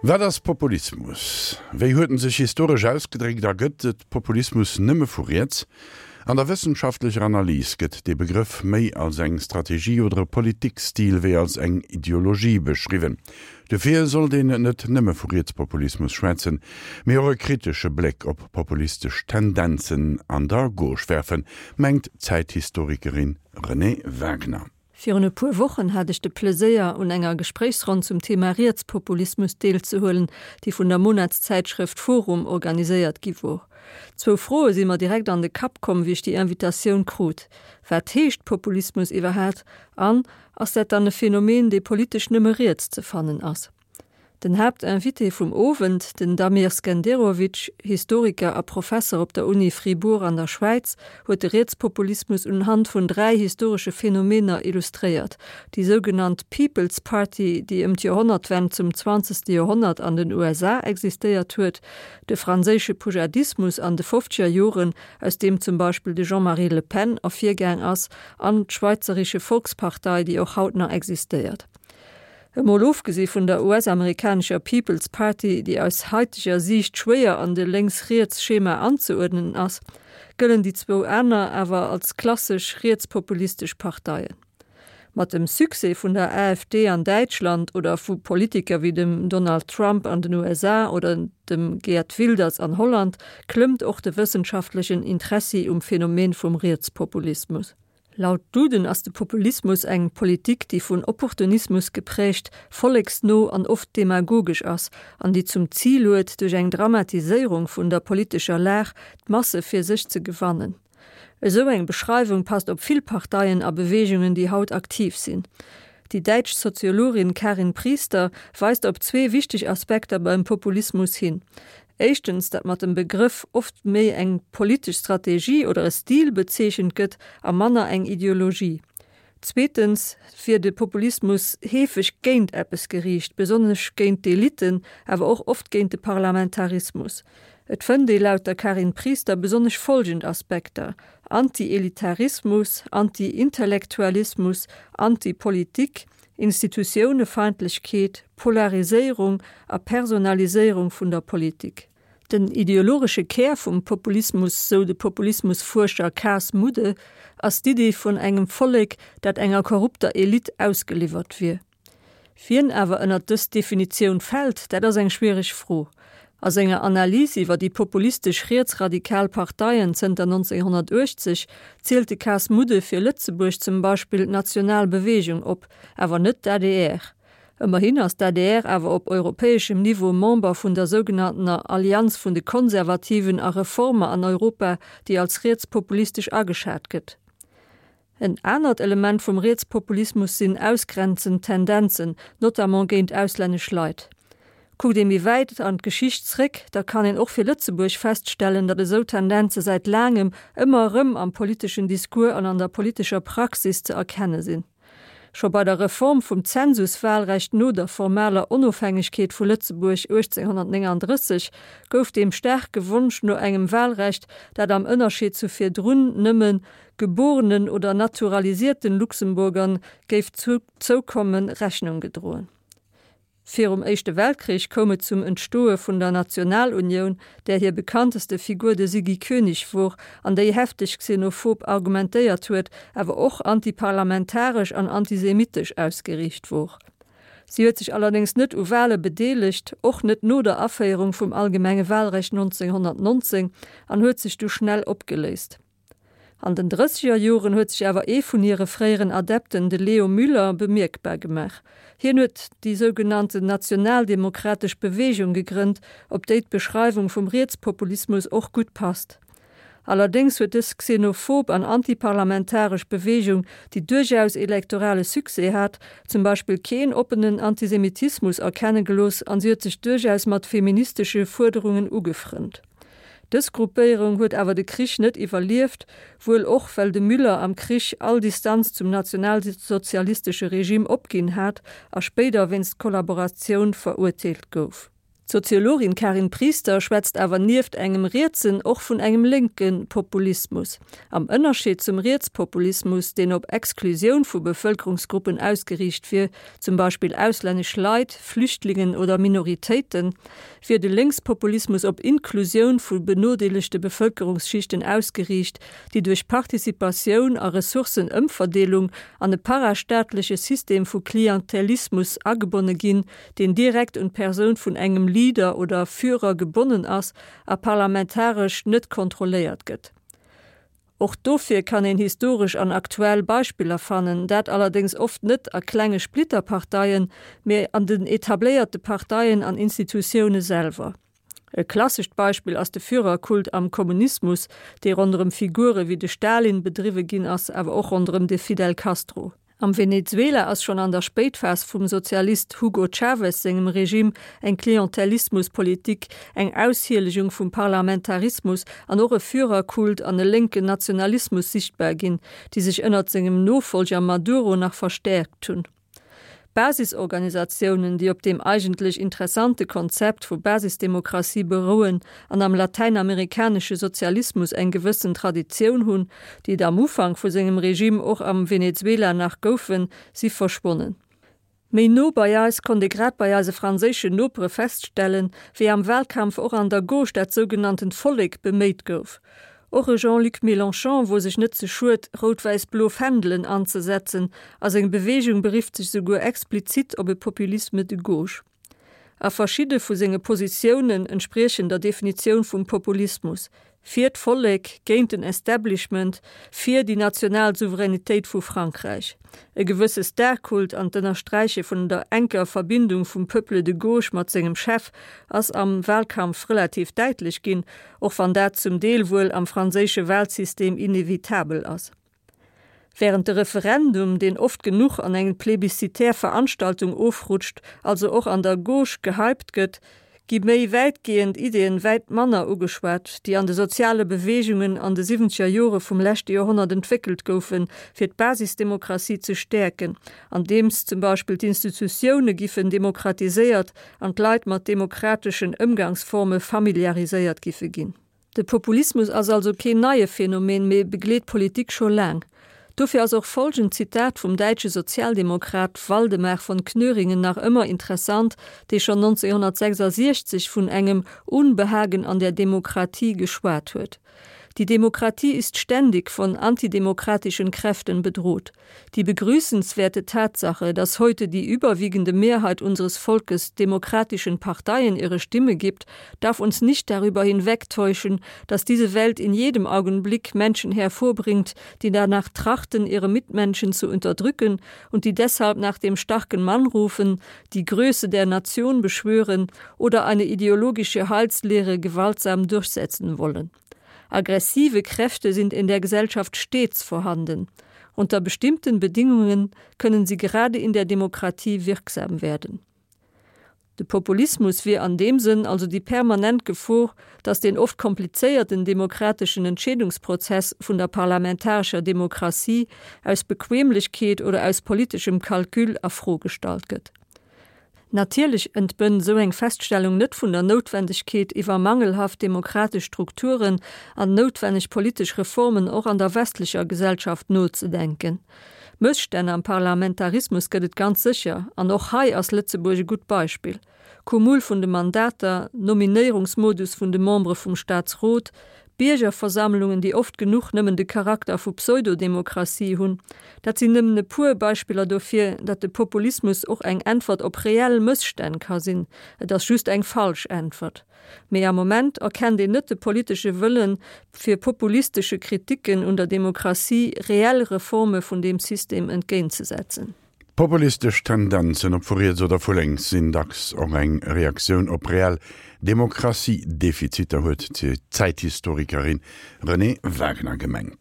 Wat ass Populismus? Wéi huet en sech historesch ausgedréckt a gëtt et Populismus nëmme vu riets? An der wëssenschaftlecher Analys gëtt dee Begrëff méi als eng Strategie oder e Politikstil wéi als eng Ideologie beschriwwen. Dofir sollt een net nëmme vu Rietspopulismus schwätzen, mee och e kritesche Bléck op populistesch Tendenzen an der Gauche werfen, mengt d'Zäithistorikerin Renée Wagner. Virun e puer Wochen hat ech de Pleséier, un enger Gespréichsronn zum Thema Rietspopulismus deelzehuelen, déi vun der Monatszäitschrëft forum organiséiert gi wor. Zwou Froe si mer direkt an de Kapp komm, wéi ech déi Invitatioun krut, Wat heescht Populismus iwwerhaat? An, Ass dat dann e Phänomen, dee politesch nëmme riets ze fannen ass? Den Haaptinvité vum Owend, den Damir Skenderovic, Historiker a Professer op der Uni Fribourg an der Schwäiz, huet de Rietspopulismus unhand vun 3 historesche Phänomener illustréiert, déi sougenannt People's Party, déi ëm d'Joerhonnertwend zum zwanzegste Joerhonnert an den USA existéiert huet, de franséische Poujadismus an de fofzeger Joren, aus deem zum Beispill de Jean-Marie Le Pen ervirgaang ass, an d'Schweizerische Volkspartei, déi och haut nach existéiert. Emol ofgesi vun der US-amerikanescher People's Party, déi aus haiteger Siicht schwéier an de Lénks-Riets-Schema anzeuerdnen ass, gëllen déi zwou aner awer als klassesch rietspopulistesch Parteien. Mat dem Succès vun der AfD an Däitschland oder vu Politiker wéi dem Donald Trump an den USA oder dem Geert Wilders an Holland klëmmt och de wëssenschaftlechen Interessi um Phänomen vum Rietspopulismus. Laut Duden ass de Populismus eng Politik, déi vun Opportunismus geprägt, volleksno an oft demagogesch ass an déi zum Zil huet, duerch eng Dramatiséierung vun der politescher Lag d'Masse fir sech ze gewannen. Esou eng Beschreiwung passt op vill Parteien a Beweegungen, déi haut aktiv sinn. Déi däitsch Soziologin Karin Priester weist op zwee wichteg Aspekter beim Populismus hin. Éischtens, datt mat dem Begrëff oft méi eng politesch Strategie oder e Stil bezeechent gëtt a manner eng Ideologie. Zweetens wier de Populismus heefeg géint eppes geriicht, besonnesch géint d'Elitten, awer och oft géint de Parlamentarismus. Et fënnt ee laut der Karin Priester besonnesch follgend Aspekter, Anti-Elitarismus, Anti-Intellektualismus, Anti-Politik, Institutiounefeindlechkeet, Polariséierung a Personaliséierung vun der Politik. Den ideologesche Kär vum Populismus, sou de Populismusfuerscher Cas Mudde, ass d'Iddi vun engem Vollek, dat enger korrupter Elite ausgeliwwert wier. Wien awer ënnert dës Definitioun fält, dat ass eng schwiereg Fro. A senger Analys iwwer déi populistesch rietsradikal Parteien zënter 1980 zielt de Cas Mudde fir Lëtzebuerg zum Beispill d'National Beweegung op, awer net d'ADR. Ëmmerhin ass d'ADR awer op europäeschem Niveau Member vun der sougenanntener Allianz vun de Konservativen a Reformer an Europa, déi als rietspopulistesch ageschat gëtt. En anert Element vum Rietspopulismus sinn ausgrenzend Tendenzen, notamment géint auslännesch Leit. Kuckt ee méi wäit an d'Geschicht zréck, da kann een och fir Lëtzebuerg feststellen, datt esou Tendenze säit laangem ëmmer erëm am politeschen Discours an an der politescher Praxis ze erkenne sinn. Scho bei der Reform vum Zensuswahlrecht no der formaler Onofhängegkeet vu Lëtzebuerg 1839 gouf deem staarke Wonsch no engem Wahlrecht, dat am Ënnerscheed zu virdrun nëmme geborenen oder naturalisierten Luxemburgern géif zoukommen, Rechnung gedroen. Virum Éischte Weltkrich koum et zum Entstoe vun der Nationalunioun, där hir bekannteste Figur de Siggy Koenig wor an déi hefteg xenophob argumentéiert huet, awer och antiparlamentaresch an antisemitesch ausgeriicht wor. Si huet sech allerdéngs net u Wale bedeelegt, och net no der Aféierung vum allgemenge Walrecht 1919, an huet sech du schnell opgeléist. An den drësseger Joren huet sech awer ee vun hire fréieren Adepten, de Leo Müller, bemierkbar gemaach. Hien huet déi sougenannten Nationaldemokratesch Beweegung gegrënnt, op déi d'Beschreiwung vum Rietspopulismus och gutt passt. Allerdéngs huet dës xenophob an antiparlamentaresch Beweegung, déi duerchaus elektorale Succès hat, zum Beispill keen oppenen Antisemitismus erkenne gelooss an si huet sech duerchaus mat feministesche Fuerderungen ugefrënnt. Dës Gruppéierung huet awer de Krich net iwwerlieft, wuel och well de Müller am Krich all Distanz zum nationalsozialistesche Regime opginn hat a spéider wéinst Kollaboratioun verurteelt gouf. D'Soziologin Karin Priester schwätzt awer nieft engem rietsen och vun engem lénke Populismus. Am Ënnerscheed zum Rietspopulismus, deen op Exklusioun vu Bevëlkerungsgruppen ausgeriicht wier, zum Beispill auslännesch Leit, Flüchtlingen oder Minoritéiten, wier de Lénkspopulismus op Inklusioun vu benodeelegte Bevëlkerungsschichten ausgeriicht, déi duerch Participatioun a Ressourcenëmverdeelung an e parastaatleche System vu Klientelismus agebonne ginn, deen direkt un d'Persoun vun engem Leader oder Führer gebonnen ass a parlamentaresch net kontrolléiert gëtt. Och dofir kann een historesch an aktuell Beispiller fannen, dat allerdéngs oft net a klenge Splitterparteien, mee an den etabléierte Parteien an Institutioune selwer. E klassescht Beispill ass de Führerkult am Kommunismus, dee ronderëm Figure wéi de Stalin bedriwwe ginn ass, awer och ronderëm de Fidel Castro. Am Venezuela ass schonn an der Spéitphas vum Sozialist Hugo Chavez sengem Regime eng Klientelismuspolitik, eng Aushielegung vum Parlamentarismus an och e Führerkult an e lénken Nationalismus sichtbar ginn, déi sech ënnert sengem Nofollger Maduro nach verstäerkt hunn. Basisorganisatiounen, déi op deem eigentlech interessante Konzept vu Basisdemokratie berouen an am latäinamerikanesche Sozialismus eng gewëssen Traditioun hunn, déi et am Ufank vu sengem Regime och am Venezuela nach goufen, si verschwonnen. Méi no bei eis konnt ee grad bei eise franséischen Nopere feststellen, wéi am Wahlkampf och an der Gauche dat sougenanntent Vollek beméit gouf. Och e Jean-Luc Mélenchon wor sech net ze schued, rout-wäiss-blo Fändelen anzesetzen, a seng Beweegung berifft sech souguer explizit op e Populisme de gauche. A verschidde vu senge Positiounen entspriechen der Definitioun vum Populismus, fir d'Vollek, géint den Establishment, fir déi national Souveränitéit vu Frankräich. E gewësse Starkult an d'Ënnersträiche vun der enker Verbindung vum Peuple de gauche mat sengem Chef ass am Wahlkampf relativ däitlech ginn, och wann dat zum Deel wuel am franséische Wahlsystem inevitabel ass. Während de Referendum, deen oft genuch an eng plebiscitär Veranstaltung ofrutscht, also och an der Gauche gehypt gëtt, gi méi wäitgehend Ideeën wäit manner ugeschwat, déi an de soziale Beweegungen an de siwwenzeger Jore vum leschte Joerhonnert entwéckelt goufen, fir d'Basisdemokratie ze stäerken, andeems zum Beispill d'Institutioune giffen demokratiséiert an d'Leit mat demokrateschen Ëmgangsforme familiariséiert giffe ginn. De Populismus ass also keen neie Phänomen, mee begleet d'Politik scho laang. Dofir ass och folgend Zitat vum däitsche Sozialdemokrat Waldemar von Knöringen nach ëmmer interessant, dee schonn 1966 vun engem Unbehagen an der Demokratie geschwat huet, Die Demokratie ist ständig von antidemokratischen Kräften bedroht. Die begrüßenswerte Tatsache, dass heute die überwiegende Mehrheit unseres Volkes demokratischen Parteien ihre Stimme gibt, darf uns nicht darüber hinwegtäuschen, dass diese Welt in jedem Augenblick Menschen hervorbringt, die danach trachten, ihre Mitmenschen zu unterdrücken und die deshalb nach dem starken Mann rufen, die Größe der Nation beschwören oder eine ideologische Heilslehre gewaltsam durchsetzen wollen. Aggressive Kräfte sind in der Gesellschaft stets vorhanden. Unter bestimmten Bedingungen können sie gerade in der Demokratie wirksam werden. De Populismus wier an deem Sënn also déi permanent Gefor, datt deen oft komplizéierten demokrateschen Entscheedungsprozess vun der parlamentarescher Demokratie aus Bequemlechkeet oder aus politeschem Calcul a Fro gestallt gëtt. Natierlech entbënn esou eng Feststellung net vun der Noutwendegkeet, iwwer mangelhaft demokratesch Strukturen an noutwenneg politesch Reformen och an der westlecher Gesellschaft nozedenken. Mësstänn am Parlamentarismus gëtt et ganz sécher, an och hei ass Lëtzebuerg e gutt Beispill. Cumul vun de Mandater, Nominéierungsmodus vun de Membere vum Staatsrot, Biergerversammlungen, déi oft genuch nëmmen de Charakter vu Pseudodemokratie hunn, dat sinn nëmmen e puer Beispiller dofir, datt de Populismus och eng Äntwert op reell Mësstänn ka sinn. Et ass just eng falsch Äntwert. Mee am Moment erkennt een net de politesche Wëllen, fir populistesche Kriticken un der Demokratie reell Reforme vun deem System entgéintzesetzen. Populistesch Tendenzen, ob vu riets oder vu lénks, sinn dacks och eng Reaktioun op reell Demokratiedefiziter, huet d'Zäithistorikerin Renée Wagener gemengt.